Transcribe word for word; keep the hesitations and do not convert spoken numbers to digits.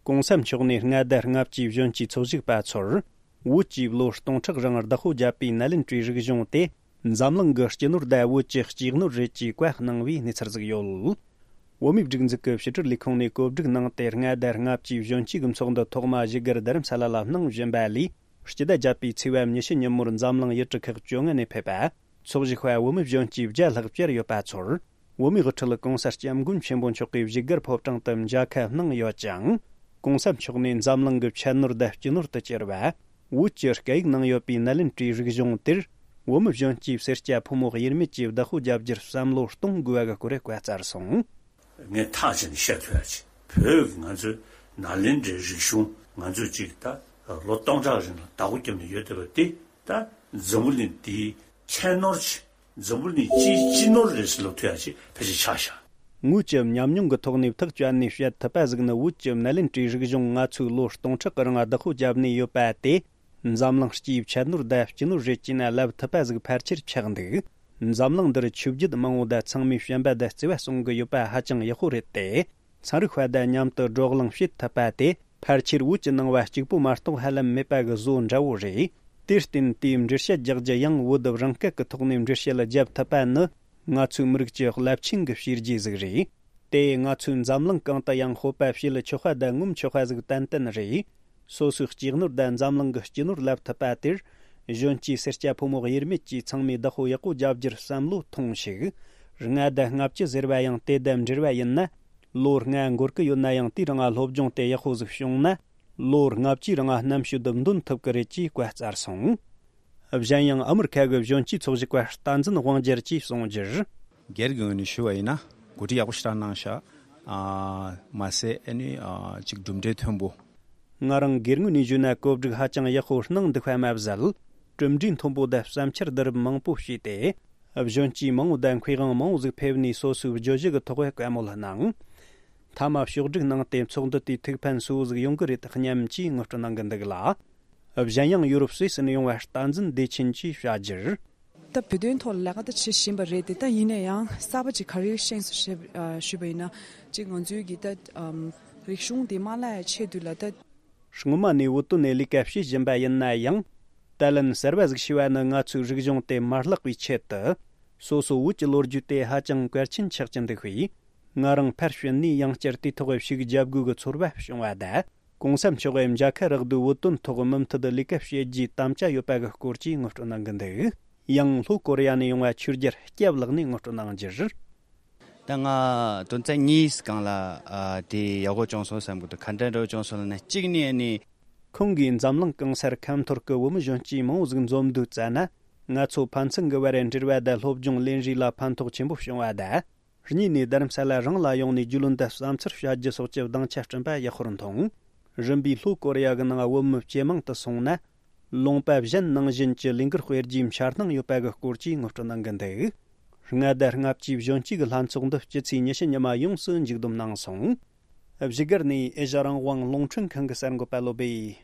གོང་ས་མཆོག་ནས་མངའ་སྡེ་ལྔ་བཅུའི་གཞོན་སྐྱེས་ཚོགས་ཞུགས་པ་ཚོར། བོད་ཀྱིས་ལོ་སྟོང་ཕྲག་རིང་བདག་པོ་བརྒྱབ་པའི་ནཱ་ལེནྡྲའི་རིག་གཞུང་དེ། འཛམ་གླིང་གི་སྤྱི་ནོར་དང་བོད་ཀྱི་གཅེས་ནོར་རེད་ཅེས་བཀའ་གནང་བའི་གནས་ཚུལ་ཟིག་ཡོད། བོད་མིའི་སྒྲིག་འཛུགས་ཀྱི་ཕྱི་དྲིལ་ལས་ཁུངས་ནས་གོ་སྒྲིག་གནང་སྟེ། མངའ་སྡེ་ལྔ་བཅུའི་གཞོན་སྐྱེས་ཀྱི་ཚོགས་འདུ་ཐོག་མ་བཞུགས་སྒར་རྡ་རམ་ས་ལ་ལ་གནང་བཞིན་པ་ལས། སྤྱི་ཟླ་བརྒྱད་པའི་ཚེས་པ་ཉི་ཤུ་ཉིན་མོར་འཛམ་གླིང་ཡུལ་གྲུ་ཁག་བཅོ་ལྔ་ནས་ཕེབས་པ། ཚོགས་ཞུགས་པ་བོད་མི་གཞོན་སྐྱེས་བརྒྱ་ལྷག་བཅར་ཡོད་པ་ཚོར། བོད་མིའི་དབུ་ཁྲིད་གོང་ས་སྐྱབས་མགོན་ཆེན་པོ་མཆོག་གིས་བཞུགས་སྒར་ཕོ་བྲང་དུ་མཇལ་ཁ་གནང་ཡོད་ཅིང་། གོང་ས་མཆོག་ནས་འཛམ་གླིང་གི་ཁྱད་ནོར་དང་སྤྱི་ནོར་དུ་གྱུར་བ། བོད་ཀྱི་སྐད་ཡིག་ནང་ཡོད་པའི་ནཱ་ལེནྡྲའི་རིག་གཞུང་དེར། བོད་མི་གཞོན་སྐྱེས་སེར་སྐྱ་ཕོ་མོ་དབྱེར་མེད་ཀྱིས་བདག་པོ་རྒྱབ་རྒྱུར་བསམ་བློ་གཏོང་དགོས་པ་གི་སྐོར་བཀའ་སྩལ་སོང་། ངས་ཐག་བཅད་ནས་བཤད་ཐུབ་ཡ་ཅིག་བོད་ཀྱི་ང་ཚོའི་ནཱ་ལེནྡྲའི་རིག་གཞུང་ང་ཚོས་ཅིག་ད་ལོ་སྟོང་ཕྲག་རིང་ལ་བདག་པོ་བརྒྱབ་ནས་ཡོད་བསྡད་པ་དེ། ད་འཛམ་བུ་གླིང་འདིའི་ཁྱད་ནོར་ཆེ། འཛམ་བུ་གླིང་སྤྱིའི་སྤྱི་ནོར་རེད་ཟེར་ལབ་ཐུབ་ཡ་ཅིག་ཕལ་ཆེར་ཆགས་ཤག་ངོས་ཀྱི་ཉམས་མྱོང་གི་ཐོག་ནས་ཐག་བཅད་ནས་བཤད་ཐུབ་པ་ཟིག་ནི། བོད་ཀྱི་ནཱ་ལེནྡྲའི་རིག་གཞུང་ང་ཚོས་ལོ་སྟོང་ཕྲག་གི་རིང་བདག་པོ་བརྒྱབ་ནས་ཡོད་པ་དེ། འཛམ་གླིང་སྤྱིའི་ཁྱད་ནོར་དང་སྤྱི་ནོར་རེད་ཅེ་ན་ལབ་ཐུབ་པ་ཟིག་ཕལ་ཆེར་ཆགས་འདུག་འཛམ་གླིང་འདིར་ཆོས་བརྒྱུད་མང་བོ་དང་ཚང་མས་བྱམས་པ་དང་བརྩེ་བ་གསུང་གི་ཡོད་པ་ཧ་ཅང་ཡག་པོ་རེད་དེ། ཚན་རིག་པ་དང་མཉམ་དུ་བགྲོ་གླེང་བྱེད་ཐུབ་པ་དེ་ཕལ་ཆེར་བོད་ཀྱི་ནང་བ་གཅིག་པོ་མ་གཏོགས་ཧ་ལམ་མེད་པ་གི་བཟོ་འདྲ་བོ་རེད། དེར་བརྟེན་དེའི་འགྲེལ་བཤད་རྒྱག་རྒྱུ་ཡང་བོད་རང་སྐད་ཀྱི་ཐོག་ནས་འགྲེལ་བཤད་བརྒྱབ་ཐུབ་པ་ནི་ང་ཚོའི་མི་རིགས་ཀྱི་རླབས་ཆེན་གྱི་བྱས་རྗེས་ཟིག་རེད། དེ་ང་ཚོས་འཛམ་གླིང་གང་དུ་ཡང་སྤོབས་པ་བྱེད་ཆོག་པ་དང་ངོམ་ཆོག་པ་ཟིག་ཏན་ཏན་རེད། སོ་སོའི་གཅེས་ནོར་དང་འཛམ་གླིང་གི་སྤྱི་ནོར་ལབ་ཐུབ་པ་དེར། གཞོན་སྐྱེས་སེར་སྐྱ་ཕོ་མོ་དབྱེར་མེད་ཀྱིས་ཚང་མས་བདག་པོ་ཡག་པོ་རྒྱབ་རྒྱུར་བསམ་བློ་ཐོངས་ཤིག་ལྔ་དང་ལྔ་བཅུ་ཟེར་བ་ཡང་དེ་དང་འབྲེལ་བ་ཡིན་ན། ལོ་ལྔ་འགོར་གི་ཡོད་ན་ཡང་དེའི་རིང་ང་སློབ་སྦྱོང་དེ་ཡག་པོ་ཟིག་བྱུང་ན། ལོ་ལྔ་བཅུའི་རིང་ང་རྣམ་དཔྱོད་འདོན་ཐུབ་ཀི་རེད་ཅེས་བཀའ་སྩལ་སོང་། གཞན་ཡང་ཨ་མི་རི་ཁ་གི་གཞོན་སྐྱེས་ཚོགས་ཞུགས་པ་བསྟན་འཛིན་དབང་རྒྱལ་གྱིས་གསུངས་རྒྱུར། སྒེར་གྱི་ངོས་ནས་ཞུ་བ་ཡིན་ན། གོ་སྒྲིག་ཡག་པོ་ཞེ་དྲག་གནང་ཤག་ཨ། མ་ཟད་ཨ་ནི་ཨ། ཅིག་གྲུབ་འབྲས་མཐོན་པོ། ང་རང་སྒེར་ངོས་ནས་ཞུས་ན་གོ་སྒྲིག་ཧ་ཅང་ཡག་པོ་གནང་འདུག་པ་མ་ཟད། གྲུབ་འབྲས་མཐོན་པོ་དང་བསམ་འཆར་བསྡུ་རུབ་མང་པོ་བྱས་ཏེ། གཞོན་སྐྱེས་མང་བོ་དང་མཁས་དབང་མང་བོ་ཟིག་ཕེབས་ནས་སོ་སོའི་བརྗོད་གཞི་གི་ཐོག་བཀའ་མོལ་གནང་། མཐའ་མ་ཕྱོགས་སྒྲིག་གནང་སྟེ་ཚོགས་འདུ་དེའི་ཐུགས་ཕན་གསོས་པོ་ཟིག་ཡོང་གི་རེད་སྙམ་ཅེས་ངོ་སྤྲོད་གནང་གི་འདུག་ལ། གཞན་ཡང་ཡུ་རོབ་སུད་སི་ནས་ཡོང་བ་བསྟན་འཛིན་བདེ་ཆེན་གྱིས་བཤད་རྒྱུར། ད་བོད་དོན་ཐོག་ལ་ལས་ཀ་ད་བྱེད་བཞིན་པ་རེད་དེ། ད་ཡིན་ན་ཡང་གསར་པ་ཅིག་ག་རེ་ཤེས་སོང་ཞེས་ཞུས་པ་ཡིན་ན། ཅིག་ང་ཚོའི་གི་ད་ཨམ་རིག་གཞུང་དེ་མ་བརླག་ཡ་ཆེད་དུ་ལ་ད། སྔོན་མ་ནས་བོད་དོན་ནས་ལས་ཀ་བྱེད་བཞིན་པ་ཡིན་ན་ཡང་། ད་ལན་གསར་བ་ཟིག་ཤེས་པ་ནི་ང་ཚོའི་རིག་གཞུང་དེ་མ་བརླག་པའི་ཆེད་དུ། སོ་སོ་བོད་ཀྱི་ལོ་རྒྱུས་དེ་ཧ་ཅང་གལ་ཆེན་ཆགས་ཀྱི་འདུག་པས། ང་རང་ཕར་ཕྱིན་ནས་ཡང་བསྐྱར་དེའི་ཐོག་ཞིག་བརྒྱབ་དགོས་ཀྱི་ཚོར་བ་བྱུང་བ་དང་། གོང་ས་མཆོག་གིས་མཇལ་ཁ་རག་དུས་བོད་དོན་ཐོག་མུ་མཐུད་ལས་ཀ་བྱེད་རྒྱུའི་དམ་བཅའ་ཡོད་པ་གི་སྐོར་གྱི་ངོ་སྤྲོད་གནང་གི་འདུག་ཡང་ལྷོ་ཀོ་རི་ཡ་ནས་ཡོང་བ་ཆོས་རྒྱལ་སྐྱབས་ལགས་ནས་ངོ་སྤྲོད་གནང་རྒྱུར། ད་ང་དོན་ཚན་གཉིས་སྒང་ལ་ཨ་དེ་ཡག་པོ་བྱུང་སོང་བསམ་གི་འདུག་ག་འདྲ་འདྲ་བྱུང་སོང་ལབ་ན། གཅིག་ནས་ཨ་ནི། ཁོང་གིས་འཛམ་གླིང་གང་སར་ཁ་འཐོར་གི་བོད་མི་གཞོན་སྐྱེས་མང་བོ་ཟིག་འཛོམས་དུས་ཙ་ན། ང་ཚོ་ཕན་ཚུན་གི་བར་འབྲེལ་བ་དང་སློབ་སྦྱོང་ལེན་རེས་ལ་ཕན་ཐོགས་ཆེན་པོ་བྱུང་བ་དང་། གཉིས་ནས་རྡ་རམ་ས་ལ་རང་ལ་ཡོང་ནས་རྒྱུས་ལོན་དང་བསམ་ཚུལ་བཤད་རྒྱུ་སོགས་ཀྱི་སྡིངས་ཆ་བསྐྲུན་པ་ཡག་པོར་མཐོང་། རིམ་པས་ལྷོ་ཀོ་རི་ཡ་གི་ནང་བོད་མི་ཇེ་མང་དུ་སོང་ན། ལུང་པ་གཞན་ནང་བཞིན་གྱི་ལས་འགུལ་སྤེལ་རྒྱུའི་འཆར་སྣང་ཡོད་པ་གི་སྐོར་གྱི་ངོ་སྤྲོད་གནང་གི་འདུག་ལྔ་དང་ལྔ་བཅུའི་གཞོན་སྐྱེས་ཀྱི་ལྷན་ཚོགས་འདི་སྤྱི་ཚེས་ཉི་ཤུ་ཉི་མ་ཡོངས་སུ་མཇུག་བསྡོམས་གནང་སོང་། བཞུགས་སྒར་ནས་ཨེ་ཤ་རང་དབང་རླུང་འཕྲིན་ཁང་གི་གསར་འགོད་པ་བློ་བྷེ།